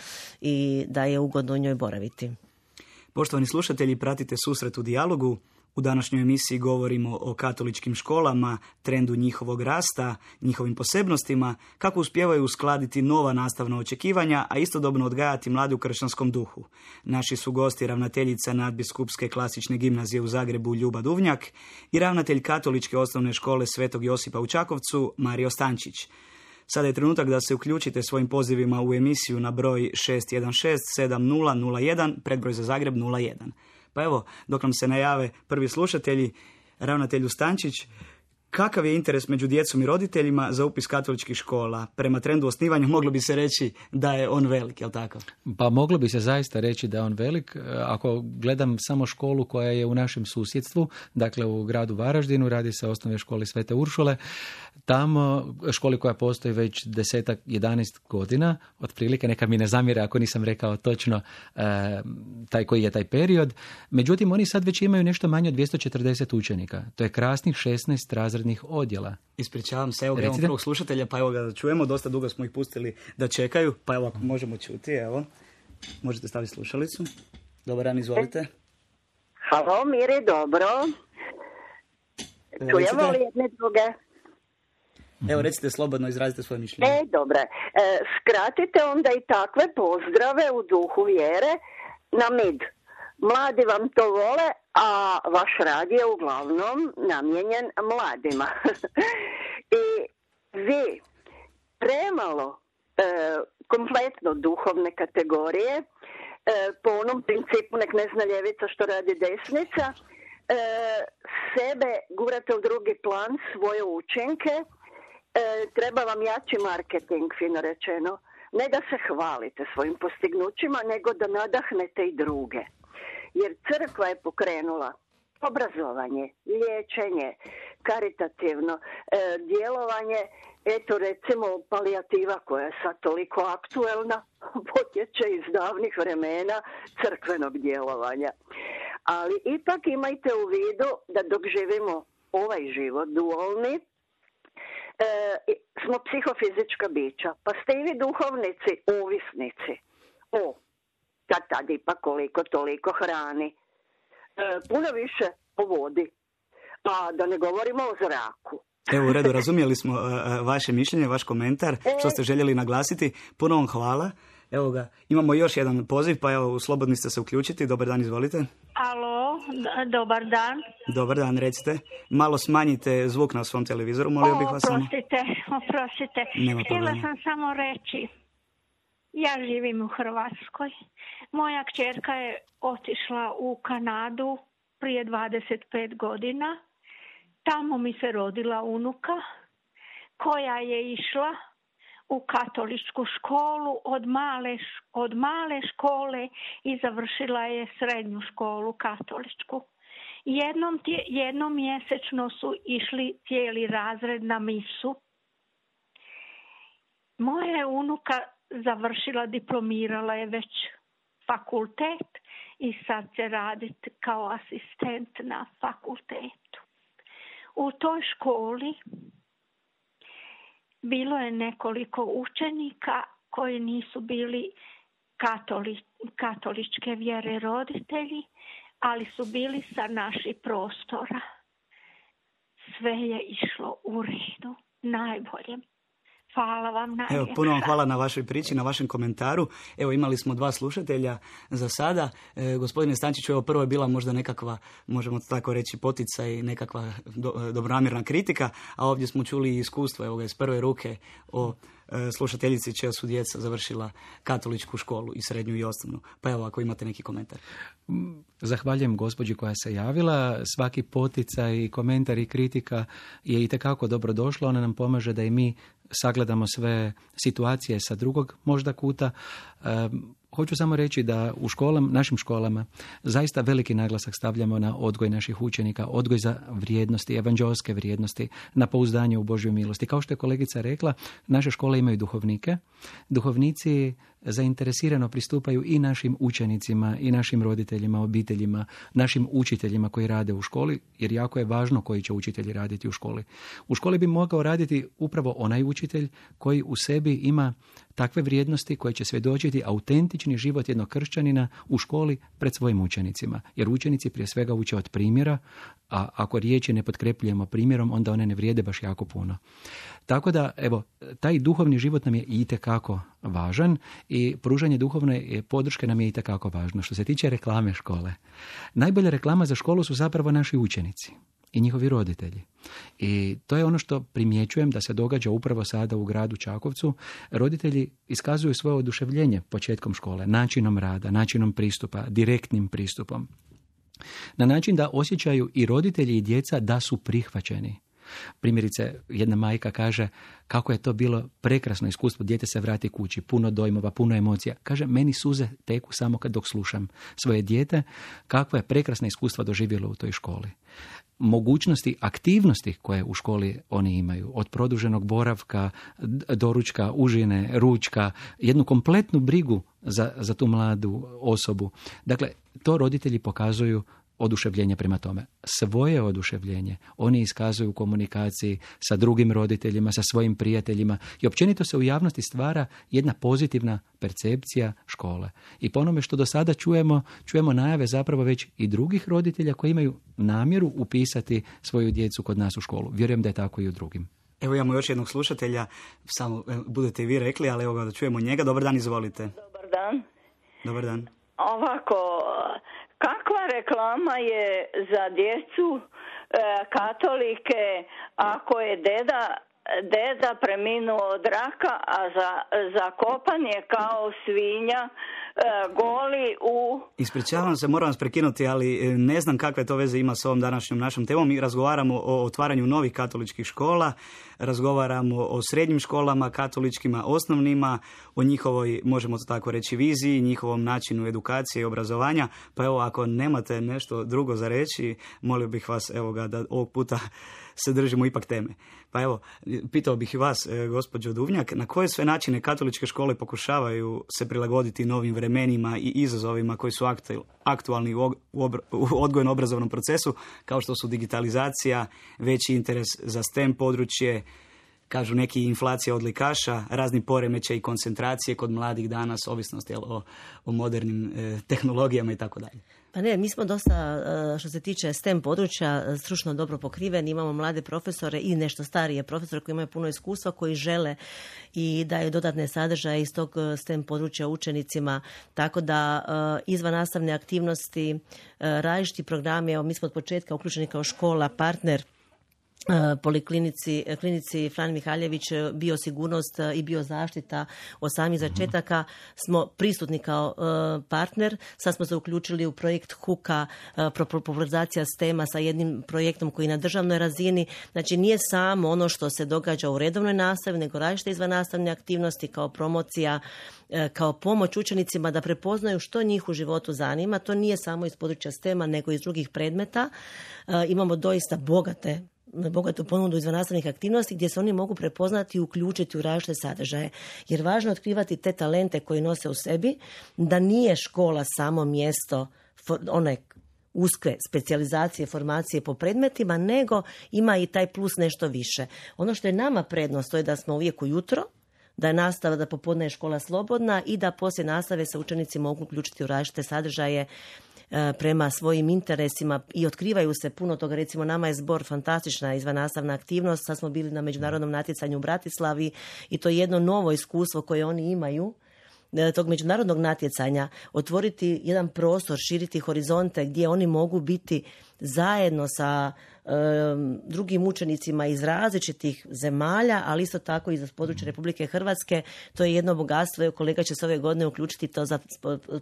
i da je ugodno u njoj boraviti. Poštovani slušatelji, pratite Susret u dijalogu. U današnjoj emisiji govorimo o katoličkim školama, trendu njihovog rasta, njihovim posebnostima, kako uspijevaju uskladiti nova nastavna očekivanja, a istodobno odgajati mlade u kršćanskom duhu. Naši su gosti ravnateljica Nadbiskupske klasične gimnazije u Zagrebu Ljuba Duvnjak i ravnatelj katoličke osnovne škole Svetog Josipa u Čakovcu Mario Stančić. Sada je trenutak da se uključite svojim pozivima u emisiju na broj šest jedan šest sedam nula nula jedan, predbroj za Zagreb nula jedan. Pa evo, dok nam se najave prvi slušatelji, ravnatelju Stančić, kakav je interes među djecom i roditeljima za upis katoličkih škola? Prema trendu osnivanja moglo bi se reći da je on velik, je li tako? Pa moglo bi se zaista reći da je on velik. Ako gledam samo školu koja je u našem susjedstvu, dakle u gradu Varaždinu, radi se o osnovnoj školi Svete Uršule, tamo školi koja postoji već desetak, jedanaest godina, otprilike, neka mi ne zamjere ako nisam rekao točno e, taj koji je taj period. Međutim, oni sad već imaju nešto manje od dvjesto četrdeset učenika. To je krasnih šesnaest razrednih odjela. Ispričavam se, evo ga, imamo prvog slušatelja, pa evo ga čujemo, dosta dugo smo ih pustili da čekaju, pa evo ako možemo čuti, evo, možete staviti slušalicu. Dobar dan, izvolite. Halo, Miri, dobro. Čujemo li jedne druge? Evo, recite slobodno, izrazite svoje mišljenje. E, dobro. E, skratite onda i takve pozdrave u duhu vjere na mid. Mladi vam to vole, a vaš rad je uglavnom namijenjen mladima. I vi premalo e, kompletno duhovne kategorije, e, po onom principu nek ne zna ljevica što radi desnica, e, sebe gurate u drugi plan, svoje učinke. E, treba vam jači marketing, fino rečeno. Ne da se hvalite svojim postignućima, nego da nadahnete i druge. Jer crkva je pokrenula obrazovanje, liječenje, karitativno e, djelovanje, eto recimo palijativa koja je sad toliko aktuelna, potječe iz davnih vremena crkvenog djelovanja. Ali ipak imajte u vidu da dok živimo ovaj život dualni, E, smo psihofizička bića, pa ste i vi duhovnici, ovisnici. o, kad tad ipak koliko toliko hrani. E, puno više o vodi, a da ne govorimo o zraku. Evo, u redu, razumjeli smo uh, vaše mišljenje, vaš komentar, što ste željeli naglasiti. Puno vam hvala. Evo ga, imamo još jedan poziv, pa evo, slobodni ste se uključiti. Dobar dan, izvolite. Alo, d- dobar dan. Dobar dan, recite. Malo smanjite zvuk na svom televizoru, molio bih vas samo. Oprostite, oprostite. Nema Htjela problema. sam samo reći, ja živim u Hrvatskoj. Moja kćerka je otišla u Kanadu prije dvadeset pet godina. Tamo mi se rodila unuka koja je išla u katoličku školu od male, od male škole i završila je srednju školu katoličku. Jednom, tje, jednom mjesečno su išli cijeli razred na misu. Moja je unuka završila, diplomirala je već fakultet i sad će raditi kao asistent na fakultetu. U toj školi bilo je nekoliko učenika koji nisu bili katoli, katoličke vjere roditelji, ali su bili sa naših prostora. Sve je išlo u redu, najbolje. Hvala vam najljepša. Evo, puno vam hvala na vašoj priči, na vašem komentaru. Evo, imali smo dva slušatelja za sada. E, gospodine Stančiću, evo prvo je bila možda nekakva, možemo tako reći, poticaj, nekakva do, dobronamjerna kritika, a ovdje smo čuli iskustvo, evo ga, iz prve ruke o e, slušateljici čija su djeca završila katoličku školu i srednju i osnovnu. Pa evo, ako imate neki komentar. Zahvaljujem gospođi koja se javila. Svaki poticaj, komentar i kritika je itekako dobro došla. Ona nam pomaže da i mi sagledamo sve situacije sa drugog možda kuta. E, hoću samo reći da u školama, našim školama zaista veliki naglasak stavljamo na odgoj naših učenika, odgoj za vrijednosti, evanđelske vrijednosti, na pouzdanje u Božju milosti. Kao što je kolegica rekla, naše škole imaju duhovnike. Duhovnici zainteresirano pristupaju i našim učenicima, i našim roditeljima, obiteljima, našim učiteljima koji rade u školi, jer jako je važno koji će učitelji raditi u školi. U školi bi mogao raditi upravo onaj učitelj koji u sebi ima takve vrijednosti koje će svjedočiti autentični život jednog kršćanina u školi pred svojim učenicima. Jer učenici prije svega uče od primjera, a ako riječi ne potkrepljujemo primjerom, onda one ne vrijede baš jako puno. Tako da, evo, taj duhovni život nam je itekako važan i pružanje duhovne podrške nam je itekako važno. Što se tiče reklame škole, najbolja reklama za školu su zapravo naši učenici i njihovi roditelji. I to je ono što primjećujem da se događa upravo sada u gradu Čakovcu. Roditelji iskazuju svoje oduševljenje početkom škole, načinom rada, načinom pristupa, direktnim pristupom. Na način da osjećaju i roditelji i djeca da su prihvaćeni. Primjerice, jedna majka kaže kako je to bilo prekrasno iskustvo, dijete se vrati kući, puno dojmova, puno emocija. Kaže, meni suze teku samo kad dok slušam svoje dijete, kakva je prekrasna iskustva doživjelo u toj školi. Mogućnosti, aktivnosti koje u školi oni imaju, od produženog boravka, doručka, užine, ručka, jednu kompletnu brigu za, za tu mladu osobu. Dakle, to roditelji pokazuju oduševljenje prema tome. Svoje oduševljenje oni iskazuju u komunikaciji sa drugim roditeljima, sa svojim prijateljima i općenito se u javnosti stvara jedna pozitivna percepcija škole. I po onome što do sada čujemo, čujemo najave zapravo već i drugih roditelja koji imaju namjeru upisati svoju djecu kod nas u školu. Vjerujem da je tako i u drugim. Evo imamo još jednog slušatelja, samo budete i vi rekli, ali evo ga da čujemo njega. Dobar dan, izvolite. Dobar dan. Dobar dan. Ovako, kakva reklama je za djecu e, katolike ako je deda, deda preminuo od raka, a za, za kopanje kao svinja e, goli u... Ispričavam se, moram vas prekinuti, ali ne znam kakve to veze ima s ovom današnjom našom temom. Mi razgovaramo o otvaranju novih katoličkih škola, razgovaramo o srednjim školama, katoličkima, osnovnima, o njihovoj, možemo to tako reći, viziji, njihovom načinu edukacije i obrazovanja. Pa evo, ako nemate nešto drugo za reći, molio bih vas, evo ga, da ovog puta se držimo ipak teme. Pa evo, pitao bih i vas, gospođo Duvnjak, na koje sve načine katoličke škole pokušavaju se prilagoditi novim vremenima i izazovima koji su aktualni u odgojno-obrazovnom procesu, kao što su digitalizacija, veći interes za STEM područje, kažu neki inflacija odlikaša, razni poremećaji i koncentracije kod mladih danas, ovisnost jel, o, o modernim e, tehnologijama i tako dalje. Pa ne, mi smo dosta, što se tiče STEM područja, stručno dobro pokriveni. Imamo mlade profesore i nešto starije profesore koji imaju puno iskustva, koji žele i daju dodatne sadržaje iz tog STEM područja učenicima. Tako da izvan nastavne aktivnosti, različiti programi, evo mi smo od početka uključeni kao škola, partner poliklinici klinici Fran Mihaljević, biosigurnost i biozaštita od samih začetaka smo prisutni kao uh, partner. Sad smo se uključili u projekt huka, uh, popularizacija stema sa jednim projektom koji je na državnoj razini. Znači nije samo ono što se događa u redovnoj nastavi, nego različite izvannastavne aktivnosti kao promocija, uh, kao pomoć učenicima da prepoznaju što njih u životu zanima. To nije samo iz područja stema, nego iz drugih predmeta. Uh, imamo doista bogate bogatu ponudu izvannastavnih aktivnosti gdje se oni mogu prepoznati i uključiti u različite sadržaje. Jer važno je otkrivati te talente koji nose u sebi, da nije škola samo mjesto one uske specijalizacije, formacije po predmetima, nego ima i taj plus nešto više. Ono što je nama prednost, to je da smo uvijek ujutro, da je nastava, da popodne je škola slobodna i da poslije nastave se učenici mogu uključiti u različite sadržaje prema svojim interesima i otkrivaju se puno toga. Recimo nama je zbor fantastična izvannastavna aktivnost. Sad smo bili na međunarodnom natjecanju u Bratislavi i to je jedno novo iskustvo koje oni imaju tog međunarodnog natjecanja, otvoriti jedan prostor, širiti horizonte gdje oni mogu biti zajedno sa um, drugim učenicima iz različitih zemalja, ali isto tako i za područje Republike Hrvatske. To je jedno bogatstvo. Evo, kolega će se ove godine uključiti to za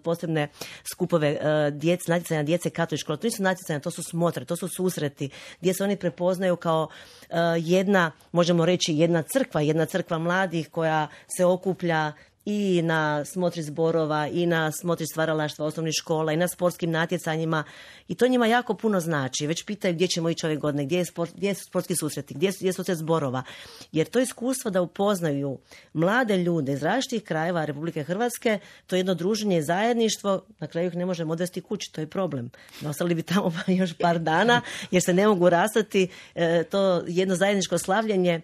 posebne skupove uh, djece, natjecanja djece katoličke škole. To nisu natjecanja, to su smotre, to su susreti gdje se oni prepoznaju kao uh, jedna, možemo reći, jedna crkva, jedna crkva mladih koja se okuplja i na smotri zborova, i na smotri stvaralaštva osnovnih škola, i na sportskim natjecanjima. I to njima jako puno znači. Već pitaju gdje ćemo ići ove godine, gdje, je sport, gdje su sportski susreti, gdje, gdje su sve zborova. Jer to iskustvo da upoznaju mlade ljude iz različitih krajeva Republike Hrvatske, to je jedno druženje i zajedništvo, na kraju ih ne možemo odvesti kući, to je problem. Ostali bi tamo još par dana jer se ne mogu rastati. E, to jedno zajedničko slavljenje.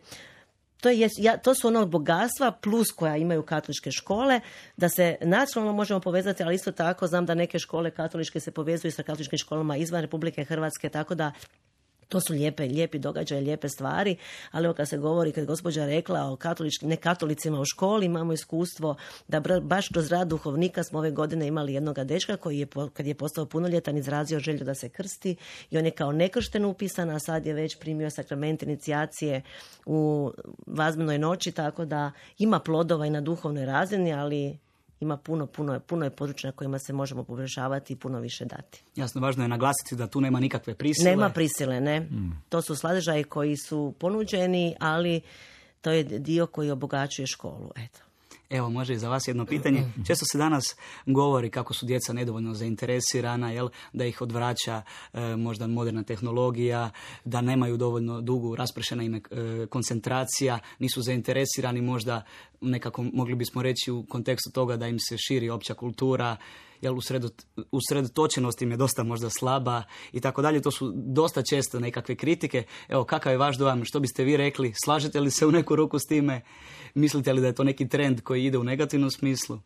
To, je, ja, to su ono bogatstva plus koja imaju katoličke škole, da se nacionalno možemo povezati, ali isto tako znam da neke škole katoličke se povezuju sa katoličkim školama izvan Republike Hrvatske, tako da to su lijepe, lijepi događaje, lijepe stvari, ali evo kad se govori, kad je gospođa rekla o katoličkim, ne katolicima u školi, imamo iskustvo da baš kroz rad duhovnika smo ove godine imali jednoga dečka koji je, kad je postao punoljetan, izrazio želju da se krsti i on je kao nekršten upisan, a sad je već primio sakrament inicijacije u vazmenoj noći, tako da ima plodova i na duhovnoj razini, ali ima puno, puno, puno je područja na kojima se možemo poboljšavati i puno više dati. Jasno, važno je naglasiti da tu nema nikakve prisile. Nema prisile, ne. Mm. To su sadržaji koji su ponuđeni, ali to je dio koji obogaćuje školu. Eto. Evo, može i za vas jedno pitanje. Često se danas govori kako su djeca nedovoljno zainteresirana, jel? Da ih odvraća e, možda moderna tehnologija, da nemaju dovoljno dugu, raspršena im e, koncentracija, nisu zainteresirani možda nekako, mogli bismo reći u kontekstu toga da im se širi opća kultura, jel, usredotočenost im je dosta možda slaba i tako dalje. To su dosta često nekakve kritike. Evo, kakav je vaš dojam? Što biste vi rekli? Slažete li se u neku ruku s time? Mislite li da je to neki trend koji ide u negativnom smislu?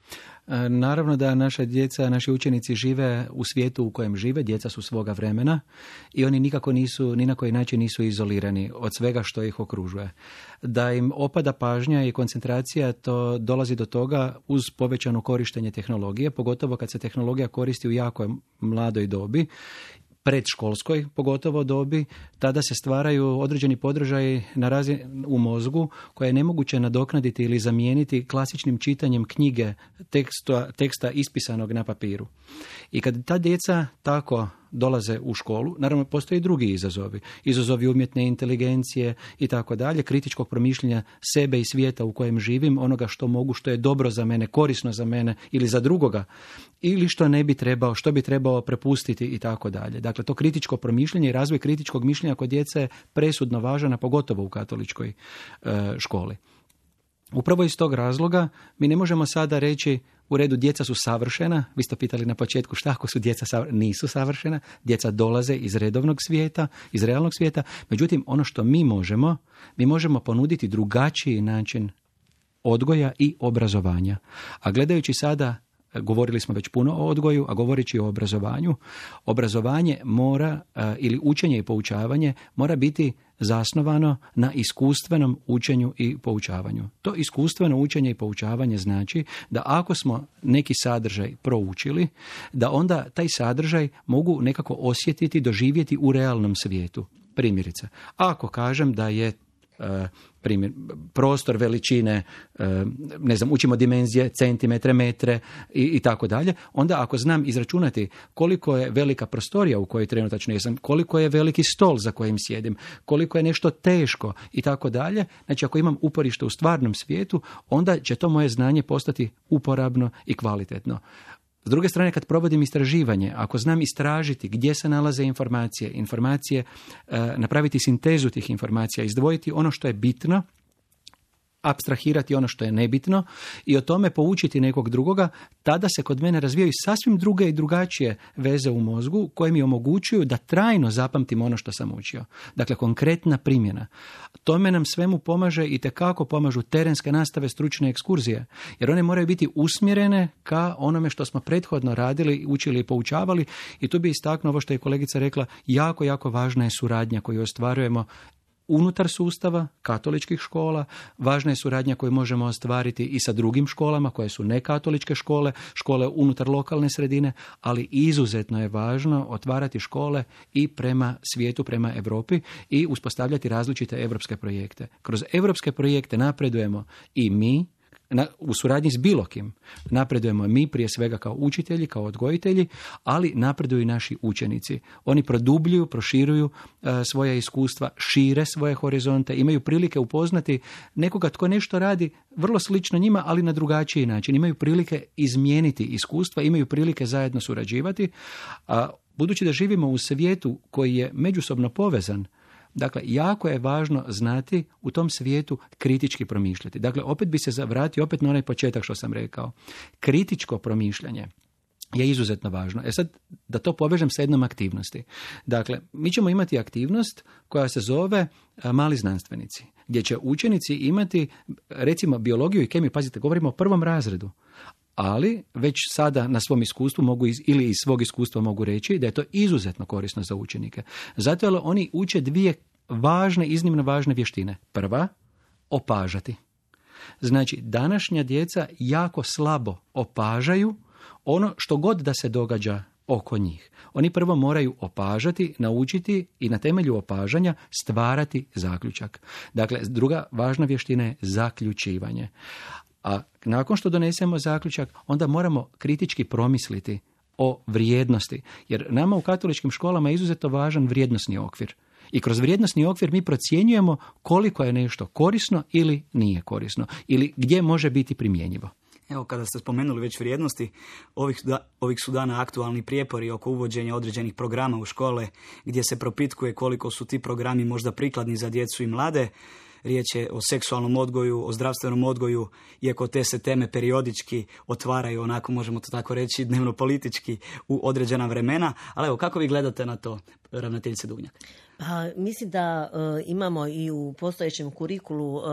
Naravno da naša djeca, naši učenici žive u svijetu u kojem žive, djeca su svoga vremena i oni nikako nisu, ni na koji način nisu izolirani od svega što ih okružuje. Da im opada pažnja i koncentracija, to dolazi do toga uz povećano korištenje tehnologije, pogotovo kad se tehnologija koristi u jako mladoj dobi, predškolskoj pogotovo dobi, tada se stvaraju određeni podržaji na razini u mozgu koje je nemoguće nadoknaditi ili zamijeniti klasičnim čitanjem knjige, teksta, teksta ispisanog na papiru. I kad ta djeca tako dolaze u školu, naravno postoje i drugi izazovi. Izazovi umjetne inteligencije i tako dalje, kritičkog promišljanja sebe i svijeta u kojem živim, onoga što mogu, što je dobro za mene, korisno za mene ili za drugoga, ili što ne bi trebao, što bi trebao prepustiti i tako dalje. Dakle, to kritičko promišljanje i razvoj kritičkog mišljenja kod djece je presudno važan, a pogotovo u katoličkoj e, školi. Upravo iz tog razloga mi ne možemo sada reći U redu, djeca su savršena. Vi ste pitali na početku šta ako su djeca savršena? Nisu savršena. Djeca dolaze iz redovnog svijeta, iz realnog svijeta. Međutim, ono što mi možemo, mi možemo ponuditi drugačiji način odgoja i obrazovanja. A gledajući sada, govorili smo već puno o odgoju, a govoreći o obrazovanju, obrazovanje mora, ili učenje i poučavanje, mora biti zasnovano na iskustvenom učenju i poučavanju. To iskustveno učenje i poučavanje znači da ako smo neki sadržaj proučili, da onda taj sadržaj mogu nekako osjetiti, doživjeti u realnom svijetu. Primjerice, ako kažem da je primjer, prostor veličine, ne znam, učimo dimenzije, centimetre, metre i, i tako dalje, onda ako znam izračunati koliko je velika prostorija u kojoj trenutačno jesam, koliko je veliki stol za kojim sjedim, koliko je nešto teško i tako dalje, znači ako imam uporište u stvarnom svijetu, onda će to moje znanje postati uporabno i kvalitetno. S druge strane, kad provodim istraživanje, ako znam istražiti gdje se nalaze informacije, informacije, e, napraviti sintezu tih informacija, izdvojiti ono što je bitno, apstrahirati ono što je nebitno i o tome poučiti nekog drugoga, tada se kod mene razvijaju sasvim druge i drugačije veze u mozgu koje mi omogućuju da trajno zapamtim ono što sam učio. Dakle, konkretna primjena. Tome nam svemu pomaže i tekako pomažu terenske nastave, stručne ekskurzije, jer one moraju biti usmjerene ka onome što smo prethodno radili, učili i poučavali, i tu bi istaknuo ovo što je kolegica rekla, jako, jako važna je suradnja koju ostvarujemo unutar sustava katoličkih škola, važna je suradnja koju možemo ostvariti i sa drugim školama koje su nekatoličke škole, škole unutar lokalne sredine, ali izuzetno je važno otvarati škole i prema svijetu, prema Europi i uspostavljati različite europske projekte. Kroz europske projekte napredujemo i mi, Na, u suradnji s bilo kim. Napredujemo mi prije svega kao učitelji, kao odgojitelji, ali napreduju i naši učenici. Oni produbljuju, proširuju e, svoja iskustva, šire svoje horizonte, imaju prilike upoznati nekoga tko nešto radi vrlo slično njima, ali na drugačiji način. Imaju prilike izmijeniti iskustva, imaju prilike zajedno surađivati, a budući da živimo u svijetu koji je međusobno povezan, dakle, jako je važno znati u tom svijetu kritički promišljati. Dakle, opet bi se zavratio opet na onaj početak što sam rekao. Kritičko promišljanje je izuzetno važno. E sad, da to povežem sa jednom aktivnosti. Dakle, mi ćemo imati aktivnost koja se zove mali znanstvenici, gdje će učenici imati, recimo, biologiju i kemiju, pazite, govorimo o prvom razredu, ali već sada na svom iskustvu mogu iz, ili iz svog iskustva mogu reći da je to izuzetno korisno za učenike. Zato jer oni uče dvije važne, iznimno važne vještine. Prva, opažati. Znači, današnja djeca jako slabo opažaju ono što god da se događa oko njih. Oni prvo moraju opažati, naučiti i na temelju opažanja stvarati zaključak. Dakle, druga važna vještina je zaključivanje. A nakon što donesemo zaključak, onda moramo kritički promisliti o vrijednosti. Jer nama u katoličkim školama je izuzetno važan vrijednosni okvir. I kroz vrijednosni okvir mi procjenjujemo koliko je nešto korisno ili nije korisno. Ili gdje može biti primjenjivo. Evo, kada ste spomenuli već vrijednosti, ovih, da, ovih su dana aktualni prijepori oko uvođenja određenih programa u škole, gdje se propitkuje koliko su ti programi možda prikladni za djecu i mlade. Riječ je o seksualnom odgoju, o zdravstvenom odgoju, iako te se teme periodički otvaraju, onako možemo to tako reći, dnevno politički u određena vremena. Ali evo, kako vi gledate na to, ravnateljice Dugnjak? Pa, mislim da uh, imamo i u postojećem kurikulu uh,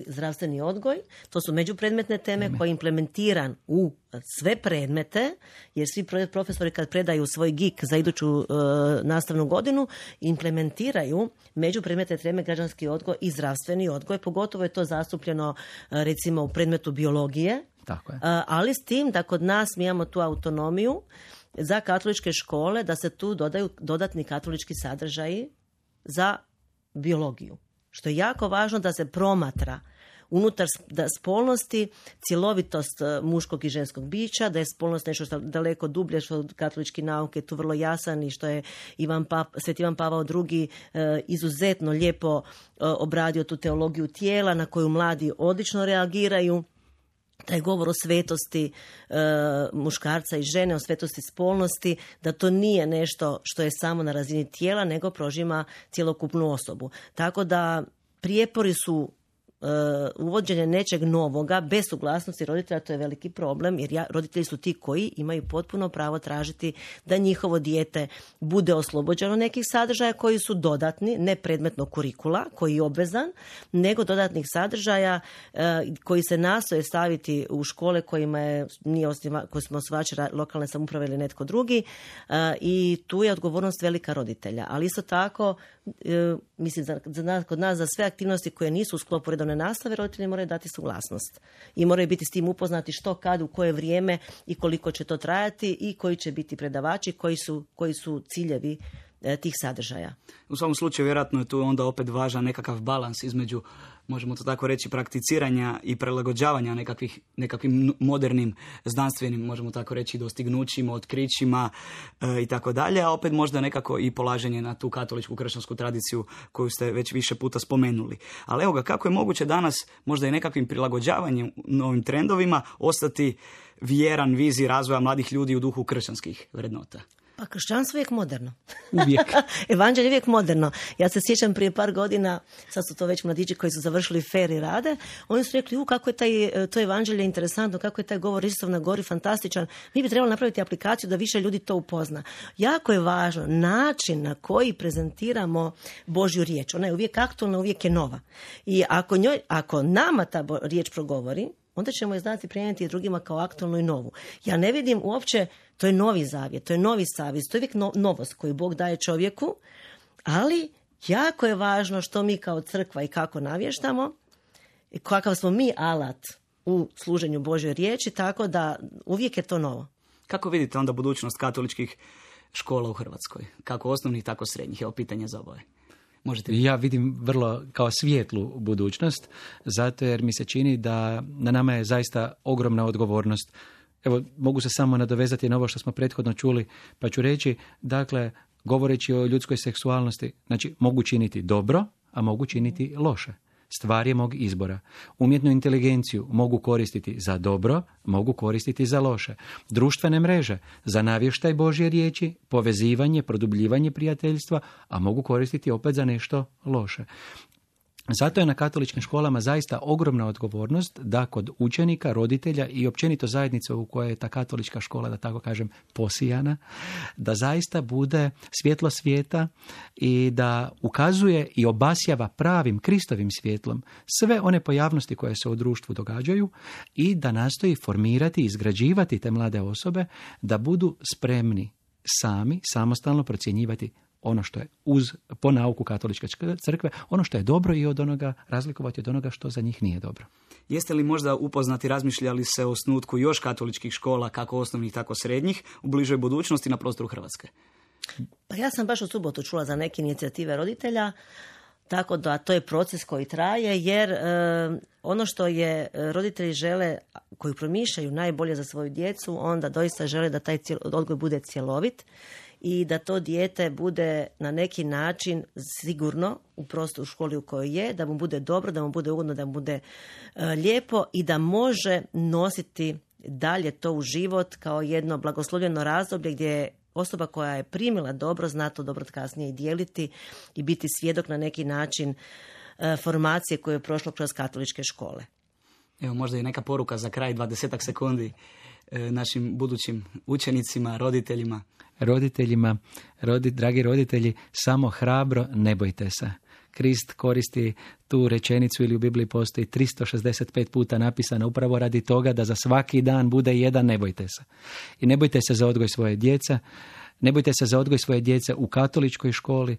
zdravstveni odgoj. To su međupredmetne teme Ime. koje je implementiran u sve predmete, jer svi profesori kad predaju svoj G I K za iduću uh, nastavnu godinu, implementiraju međupredmetne teme građanski odgoj i zdravstveni odgoj. Pogotovo je to zastupljeno uh, recimo u predmetu biologije. Tako je. Uh, ali s tim da kod nas mi imamo tu autonomiju za katoličke škole, da se tu dodaju dodatni katolički sadržaji za biologiju. Što je jako važno da se promatra unutar spolnosti cjelovitost muškog i ženskog bića, da je spolnost nešto što daleko dublje, što katolički nauke je tu vrlo jasan i što je Ivan Pap, Sveti Ivan Pavao drugi izuzetno lijepo obradio tu teologiju tijela na koju mladi odlično reagiraju. Taj govor o svetosti e, muškarca i žene, o svetosti spolnosti, da to nije nešto što je samo na razini tijela, nego prožima cjelokupnu osobu. Tako da prijepori su uvođenje nečeg novoga bez suglasnosti roditelja, to je veliki problem, jer ja, roditelji su ti koji imaju potpuno pravo tražiti da njihovo dijete bude oslobođeno nekih sadržaja koji su dodatni, ne predmetno kurikula koji je obvezan, nego dodatnih sadržaja e, koji se nastoje staviti u škole kojima je, nije osniva, koji smo osnivači lokalne samouprave ili netko drugi, e, i tu je odgovornost velika roditelja. Ali isto tako, e, mislim, za, za nas, kod nas za sve aktivnosti koje nisu u sklopu redovne nastave, roditelji moraju dati suglasnost i moraju biti s tim upoznati što, kad, u koje vrijeme i koliko će to trajati i koji će biti predavači, koji su, koji su ciljevi e, tih sadržaja. U svakom slučaju vjerojatno je tu onda opet važan nekakav balans između, možemo to tako reći, prakticiranja i prilagođavanja nekakvih, nekakvim modernim znanstvenim, možemo tako reći, dostignućima, otkrićima e, i tako dalje, a opet možda nekako i polaženje na tu katoličku kršćansku tradiciju koju ste već više puta spomenuli. Ali evo ga, kako je moguće danas možda i nekakvim prilagođavanjem novim trendovima ostati vjeran viziji razvoja mladih ljudi u duhu kršćanskih vrednota? Pa kršćanstvo je uvijek moderno. Uvijek. Evanđelje je uvijek moderno. Ja se sjećam prije par godina, sad su to već mladići koji su završili fer i rade, oni su rekli, u, kako je taj, to evanđelje interesantno, kako je taj govor Isusov na gori fantastičan. Mi bi trebali napraviti aplikaciju da više ljudi to upozna. Jako je važno način na koji prezentiramo Božju riječ. Ona je uvijek aktualna, uvijek je nova. I ako, njoj, ako nama ta riječ progovori, onda ćemo je znati prenijeti drugima kao aktualnu i novu. Ja ne vidim uopće, to je novi zavjet, to je novi savez, to je uvijek no, novost koju Bog daje čovjeku, ali jako je važno što mi kao crkva i kako navještamo, i kakav smo mi alat u služenju Božjoj riječi, tako da uvijek je to novo. Kako vidite onda budućnost katoličkih škola u Hrvatskoj? Kako osnovnih, tako srednjih? Evo pitanje za oboje. Možete... Ja vidim vrlo kao svijetlu budućnost, zato jer mi se čini da na nama je zaista ogromna odgovornost. Evo, mogu se samo nadovezati na ovo što smo prethodno čuli, pa ću reći, dakle, govoreći o ljudskoj seksualnosti, znači, mogu činiti dobro, a mogu činiti loše. Stvar je mog izbora. Umjetnu inteligenciju mogu koristiti za dobro, mogu koristiti za loše. Društvene mreže za navještaj Božje riječi, povezivanje, produbljivanje prijateljstva, a mogu koristiti opet za nešto loše. Zato je na katoličkim školama zaista ogromna odgovornost da kod učenika, roditelja i općenito zajednice u kojoj je ta katolička škola, da tako kažem, posijana, da zaista bude svjetlo svijeta i da ukazuje i obasjava pravim Kristovim svjetlom sve one pojavnosti koje se u društvu događaju i da nastoji formirati, izgrađivati te mlade osobe da budu spremni sami, samostalno procjenjivati ono što je uz, po nauku katoličke crkve, ono što je dobro i od onoga razlikovati od onoga što za njih nije dobro. Jeste li možda upoznati, razmišljali se o osnutku još katoličkih škola, kako osnovnih, tako srednjih, u bližoj budućnosti na prostoru Hrvatske? Pa ja sam baš u subotu čula za neke inicijative roditelja, tako da to je proces koji traje, jer e, ono što je roditelji žele, koji promišljaju najbolje za svoju djecu, onda doista žele da taj cijel, odgoj bude cjelovit i da to dijete bude na neki način sigurno u prostoru, u školi u kojoj je, da mu bude dobro, da mu bude ugodno, da mu bude e, lijepo i da može nositi dalje to u život kao jedno blagoslovljeno razdoblje gdje je osoba koja je primila dobro, zna to dobro kasnije i dijeliti i biti svjedok na neki način e, formacije koje je prošlo kroz katoličke škole. Evo možda i neka poruka za kraj, dvadesetak sekundi e, našim budućim učenicima, roditeljima. Roditeljima, rodi, dragi roditelji, samo hrabro ne bojte se. Krist koristi tu rečenicu ili u Bibliji postoji tristo šezdeset pet puta napisana upravo radi toga da za svaki dan bude jedan ne bojte se. I ne bojte se za odgoj svoje djece, ne bojte se za odgoj svoje djece u katoličkoj školi.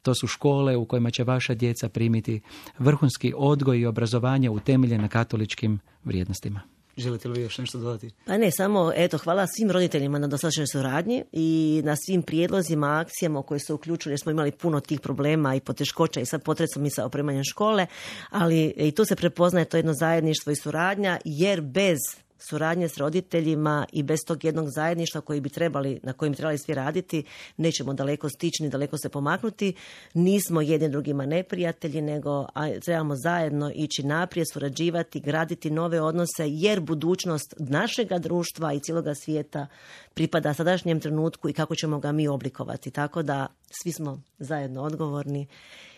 To su škole u kojima će vaša djeca primiti vrhunski odgoj i obrazovanje utemeljen na katoličkim vrijednostima. Želite li još nešto dodati? Pa ne, samo eto, hvala svim roditeljima na dosadašnjoj suradnji i na svim prijedlozima, akcijama u koje su uključili, jer smo imali puno tih problema i poteškoća i sad potrebno i sa opremanjem škole, ali i tu se prepoznaje to jedno zajedništvo i suradnja, jer bez suradnje s roditeljima i bez tog jednog zajedništva koji bi trebali, na kojem bi trebali svi raditi, nećemo daleko stići ni daleko se pomaknuti. Nismo jedni drugima neprijatelji, nego trebamo zajedno ići naprijed, surađivati, graditi nove odnose, jer budućnost našega društva i cijeloga svijeta pripada sadašnjem trenutku i kako ćemo ga mi oblikovati. Tako da svi smo zajedno odgovorni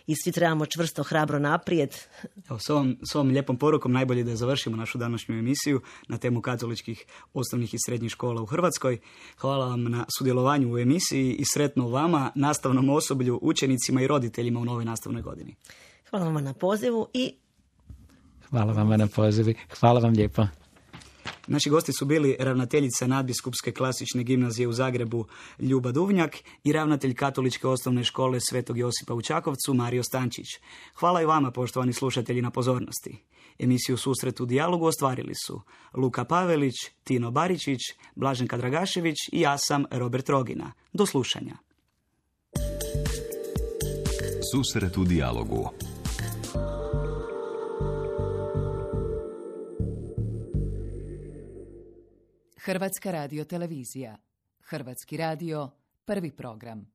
i svi trebamo čvrsto, hrabro naprijed. Evo, s ovom, s ovom lijepom porukom najbolje da završimo našu današnju emisiju na temu katoličkih osnovnih i srednjih škola u Hrvatskoj. Hvala vam na sudjelovanju u emisiji i sretno vama, nastavnom osoblju, učenicima i roditeljima u novoj nastavnoj godini. Hvala vam na pozivu i... Hvala vam na pozivu. Hvala vam lijepo. Naši gosti su bili ravnateljica Nadbiskupske klasične gimnazije u Zagrebu Ljuba Duvnjak i ravnatelj Katoličke osnovne škole Svetog Josipa u Čakovcu Mario Stančić. Hvala i vama, poštovani slušatelji, na pozornosti. Emisiju Susret u dijalogu ostvarili su Luka Pavelić, Tino Baričić, Blaženka Dragašević i ja sam Robert Rogina. Do slušanja. Susret u dijalogu. Hrvatska radiotelevizija. Hrvatski radio, prvi program.